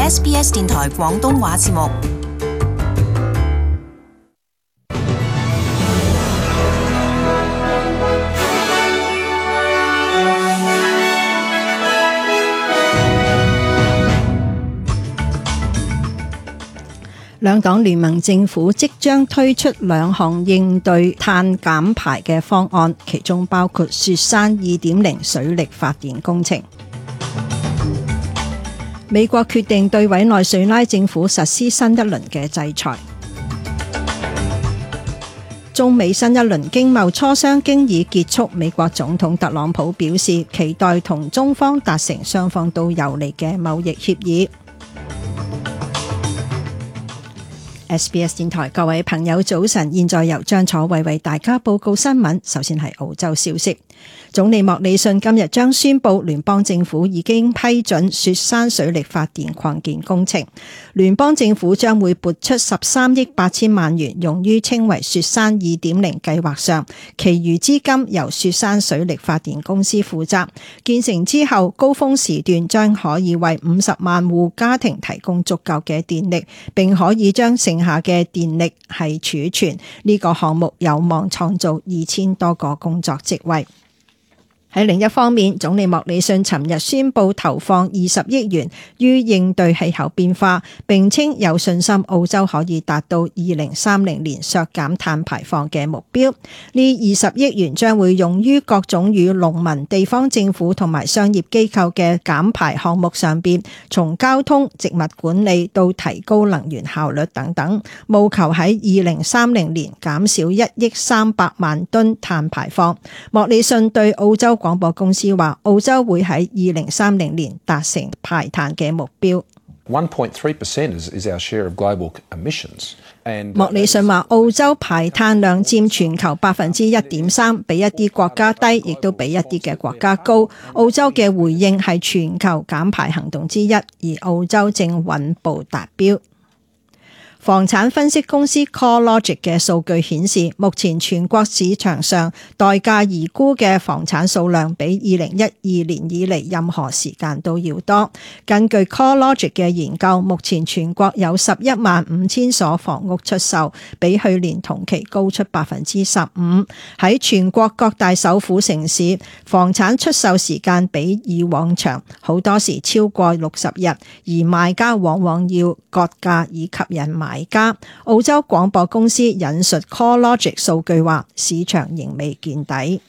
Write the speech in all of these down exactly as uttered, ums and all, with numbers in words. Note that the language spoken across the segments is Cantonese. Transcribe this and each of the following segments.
S B S 電台廣東話節目。兩黨聯盟政府即將推出兩項應對碳減排嘅方案，其中包括雪山 二點零 水力發電工程。美國決定對委內瑞拉政府實施新一輪嘅制裁。中美新一輪經貿磋商經已結束，美國總統特朗普表示期待同中方達成雙方都有利嘅貿易協議。S B S 電台各位朋友早晨，現在由張楚慧為大家報告新聞。首先係澳洲消息，總理莫里遜今日將宣布聯邦政府已經批准雪山水力發電擴建工程，聯邦政府將會撥出十三億八千萬元用於稱為雪山 二點零 計劃上，其餘資金由雪山水力發電公司負責。建成之後，高峰時段將可以為五十萬戶家庭提供足夠嘅電力，並可以將剩下嘅電力係儲存。呢個項目有望創造二千多個工作職位。喺另一方面，總理莫里遜尋日宣布投放二十億元於應對氣候變化，並稱有信心澳洲可以達到二零三零年削減碳排放嘅目標。呢二十億元將會用於各種與農民、地方政府同埋商業機構嘅減排項目上邊，從交通、植物管理到提高能源效率等等，務求喺二零三零年減少一億三百萬噸碳排放。莫里遜對澳洲廣播公司話，澳洲會喺二零三零年達成排碳嘅目標。one point three percent is, is our share of global emissions. And, uh, 莫里遜話，澳洲排碳量佔全球百分之一點三，比一啲國家低，亦都比一啲嘅國家高。澳洲嘅回應係全球減排行動之一，而澳洲正穩步達標。房產分析公司 CoreLogic 嘅數據顯示，目前全國市場上待價而沽嘅房產數量比二零一二年以嚟任何時間都要多。根據 CoreLogic 嘅研究，目前全國有十一萬五千所房屋出售，比去年同期高出百分之十五。喺全國各大首府城市，房產出售時間比以往長，好多時超過六十日，而賣家往往要割價以吸引買家。澳洲廣播公司引述 CoreLogic 數據話，市場仍未見底。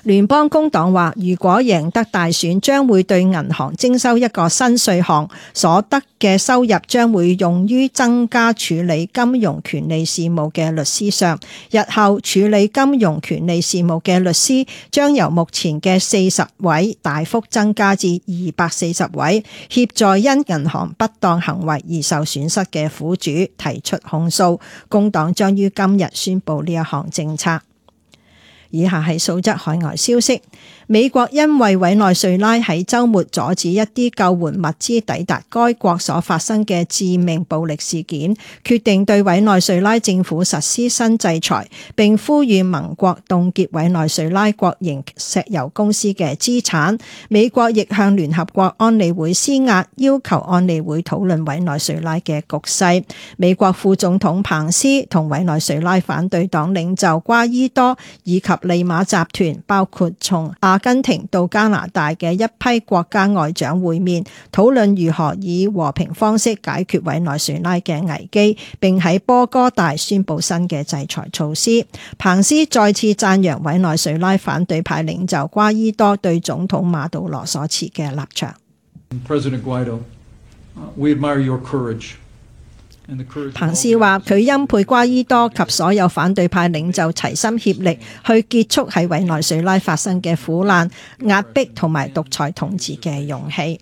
聯邦工黨話，如果贏得大選，將會對銀行徵收一個新稅項，所得嘅收入將會用於增加處理金融權利事務嘅律師上。日後處理金融權利事務嘅律師將由目前嘅四十位大幅增加至二百四十位，協助因銀行不當行為而受損失嘅苦主提出控訴。工黨將於今日宣布呢一項政策。以下係數則海外消息。美國因為委內瑞拉喺週末阻止一啲救援物資抵達該國所發生嘅致命暴力事件，決定對委內瑞拉政府實施新制裁，並呼籲盟國凍結委內瑞拉國營石油公司嘅資產。美國亦向聯合國安理會施壓，要求安理會討論委內瑞拉嘅局勢。美國副總統彭斯同委內瑞拉反對黨領袖瓜伊多以及利馬集團，包括從阿根廷到加拿大嘅一批國家外長會面，討論如何以和平方式解決委內瑞拉嘅危機，並喺波哥大宣布新嘅制裁措施。彭斯再次讚揚委內瑞拉反對派領袖瓜伊多對總統馬杜羅所持嘅立場。President Guaido, we admire your courage. 彭斯話佢欽佩瓜伊多及所有反對派領袖齊心協力去結束喺委內瑞拉發生嘅苦難、壓迫同埋獨裁統治嘅勇氣。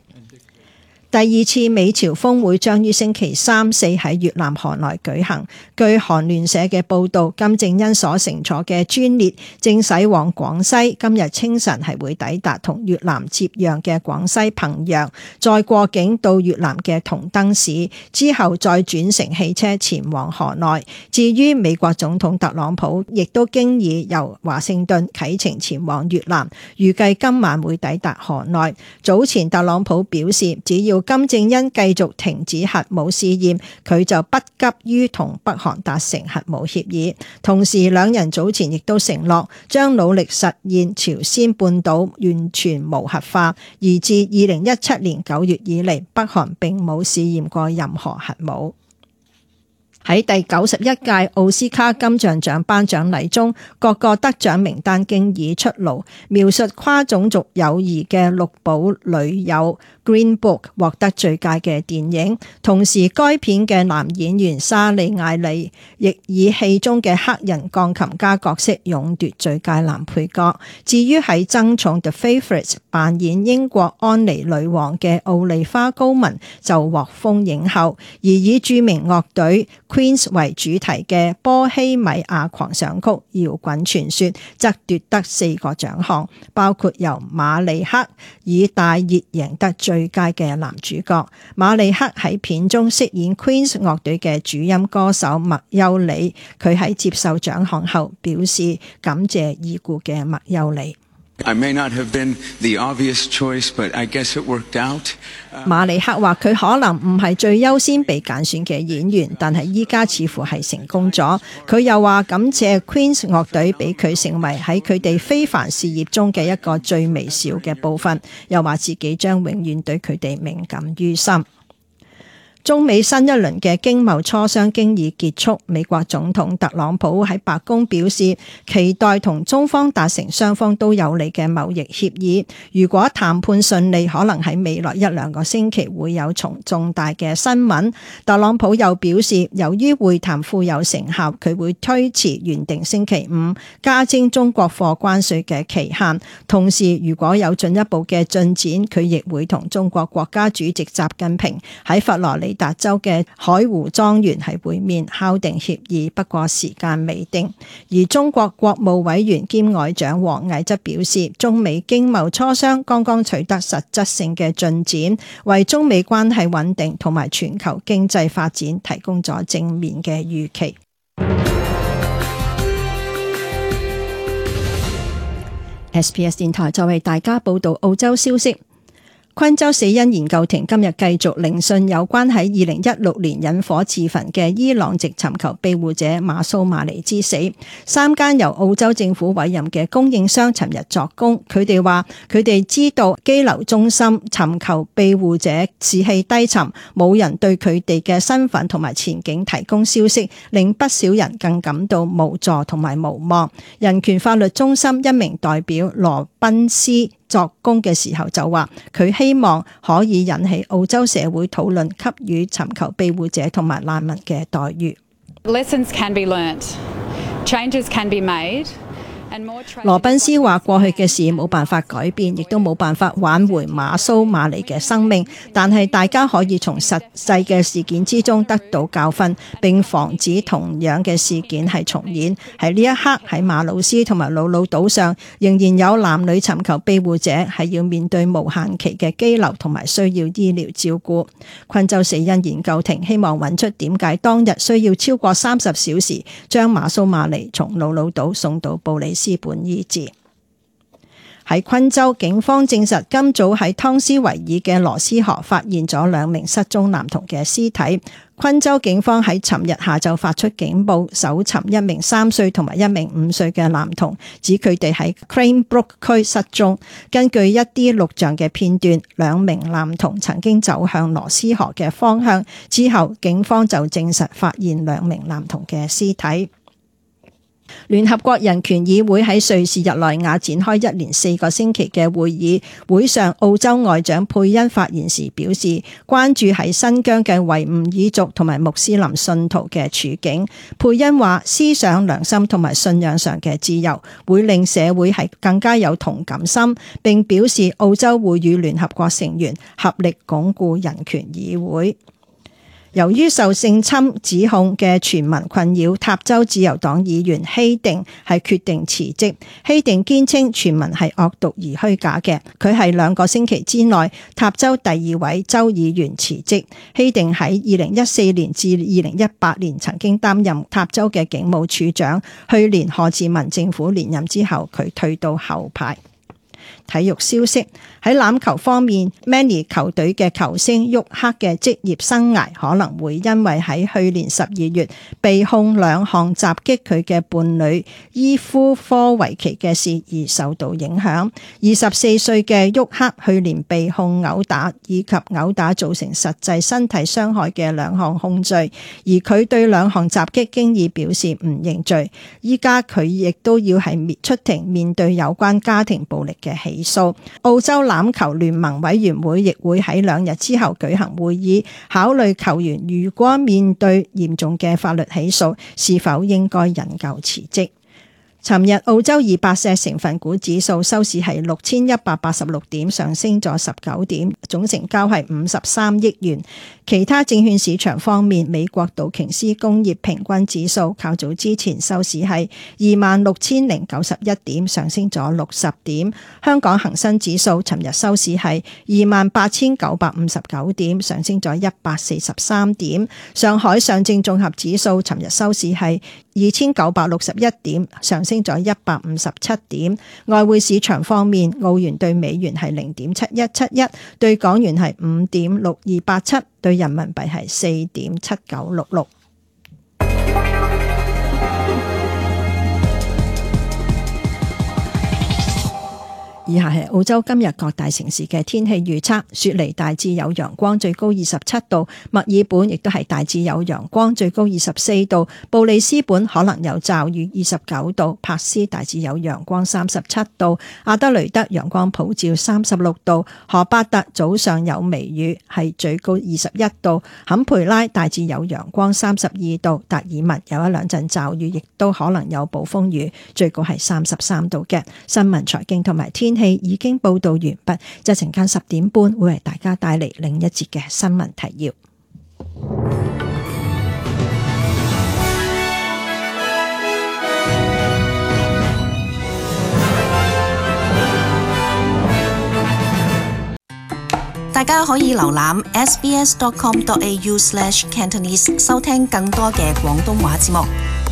第二次美朝峰會將於星期三四喺越南河內舉行。據韓聯社嘅報導，金正恩所乘坐嘅專列正駛往廣西，今日清晨係會抵達同越南接壤嘅廣西彭陽，再過境到越南嘅同登市，之後再轉乘汽車前往河內。至於美國總統特朗普，亦都經已由華盛頓啟程前往越南，預計今晚會抵達河內。早前特朗普表示，只要要金正恩繼續停止核武試驗，佢就不急於同北韓達成核武協議。同時，兩人早前亦都承諾將努力實現朝鮮半島完全無核化，而自二零一七年九月以嚟，北韓並冇試驗過任何核武。喺第九十一屆奧斯卡金像獎頒獎禮中，各個得獎名單經已出爐，描述跨種族友誼嘅綠簿女友 Green Book 獲得最佳嘅電影，同時該片嘅男演員莎莉艾莉亦以戲中嘅黑人鋼琴家角色勇奪最佳男配角。至於喺爭寵 The Favourite 扮演英國安妮女王嘅奧利花高文就獲封影后，而以著名樂隊 Queen 為主題嘅波希米亞狂想曲搖滾傳說則奪得四個獎項，包括由馬利克以大熱贏得最佳嘅男主角。馬利克喺片中飾演 Queen 樂隊嘅主音歌手麥優里，佢喺接受獎項後表示感謝已故嘅麥優里。I may not have been the obvious choice, but I guess it worked out. 馬利克話佢可能唔係最優先被揀選嘅演員，但係依家似乎係成功咗。佢又話感謝 Queen 樂隊俾佢成為喺佢哋非凡事業中嘅一個最微小嘅部分，又話自己將永遠對佢哋銘感於心。中美新一輪嘅經貿磋商經已結束，美國總統特朗普喺白宮表示期待同中方達成雙方都有利嘅貿易協議。如果談判順利，可能喺未來一兩個星期會有重重大嘅新聞。特朗普又表示，由於會談富有成效，佢會推遲原定星期五加徵中國貨關稅嘅期限。同時，如果有進一步嘅進展，佢亦會同中國國家主席習近平喺佛羅里達州嘅海湖莊園係會面敲定協議，不過時間未定。而中國國務委員兼外長王毅則表示，中美經貿磋商剛剛取得實質性嘅進展，為中美關係穩定同埋全球經濟發展提供咗正面嘅預期。S B S 電台再為大家報道澳洲消息。昆州死因研究庭今日繼續聆訊有關喺二零一六年引火自焚嘅伊朗籍尋求庇護者馬蘇馬尼之死。三間由澳洲政府委任嘅供應商尋日作供，佢哋話佢哋知道羈留中心尋求庇護者士氣低沉，冇人對佢哋嘅身份同埋前景提供消息，令不少人更感到無助同埋無望。人權法律中心一名代表羅賓斯作供嘅時候就話，佢希望可以引起澳洲社會討論給予尋求庇護者同埋難民嘅待遇。Lessons can be learnt, changes can be made. 羅賓斯話過去嘅事冇辦法改變，亦都冇辦法挽回馬蘇馬尼嘅生命，但係大家可以從實際嘅事件之中得到教訓，並防止同樣嘅事件係重演。喺呢一刻，喺馬魯斯同埋魯魯島上，仍然有男女尋求庇護者係要面對無限期嘅羈留同埋需要醫療照顧。昆州死因研究庭希望揾出點解當日需要超過三十小時將馬蘇馬尼從魯魯島送到布里斯本醫治。喺昆州，警方證實今早喺湯斯維爾嘅羅斯河發現咗兩名失蹤男童嘅屍體。昆州警方喺尋日下晝發出警報，搜尋一名三歲同埋一名五歲嘅男童，指佢哋喺 Cranebrook 區失蹤。根據一啲錄像嘅片段，兩名男童曾經走向羅斯河嘅方向，之後警方就證實發現兩名男童嘅屍體。聯合國人權議會喺瑞士日內瓦展開一連四個星期嘅會議，會上澳洲外長佩恩發言時表示，關注喺新疆嘅維吾爾族同埋穆斯林信徒嘅處境。佩恩話，思想、良心同埋信仰上嘅自由會令社會係更加有同感心，並表示澳洲會與聯合國成員合力鞏固人權議會。由於受性侵指控嘅全民困擾，塔州自由黨議員希定係決定辭職。希定堅稱全民係惡毒而虛假嘅，佢係兩個星期之內塔州第二位州議員辭職。希定喺二零一四年至二零一八年曾經擔任塔州嘅警務處長，去年賀智文政府連任之後，佢退到後排。體育消息，喺欖球方面 ，Manly 球隊嘅球星沃克嘅職業生涯可能會因為喺去年十二月被控兩項襲擊佢嘅伴侶伊夫科維奇嘅事而受到影響。二十四歲嘅沃克去年被控毆打以及毆打造成實際身體傷害嘅兩項控罪，而佢對兩項襲擊經已表示唔認罪。依家佢亦都要係出庭面對有關家庭暴力嘅起訴。澳洲欖球聯盟委員會亦會喺兩日之後舉行會議，考慮球員如果面對嚴重嘅法律起訴，是否應該引咎辭職。尋日澳洲二百隻成分股指數收市係六千一百八十六點，上升咗十九點，總成交係五十三億元。其他證券市場方面，美國道瓊斯工業平均指數較早之前收市係二萬六千零九十一點，上升咗六十點。香港恒生指數尋日收市係二萬八千九百五十九點，上升咗一百四十三點。上海上證綜合指數尋日收市係二千九百六十一點，上升咗一百五十七點。外匯市場方面，澳元對美元係零點七一七一，對港元係五點六二八七，對人民幣係四點七九六六。以下係澳洲今日各大城市嘅天氣預測：雪梨大致有陽光，最高二十七度；墨爾本亦都係大致有陽光，最高二十四度；布里斯本可能有驟雨，二十九度；柏斯大致有陽光，三十七度；阿德雷德陽光普照，三十六度；荷巴特早上有微雨，係最高二十一度；坎培拉大致有陽光，三十二度；達爾文有一兩陣驟雨，亦都可能有暴風雨，最高係三十三度嘅。新聞、財經同埋天氣已經報道完畢，就陣間十點半會為大家帶嚟另一節嘅新聞提要。大家可以瀏覽 s b s dot com dot a u slash cantonese 收聽更多嘅廣東話節目。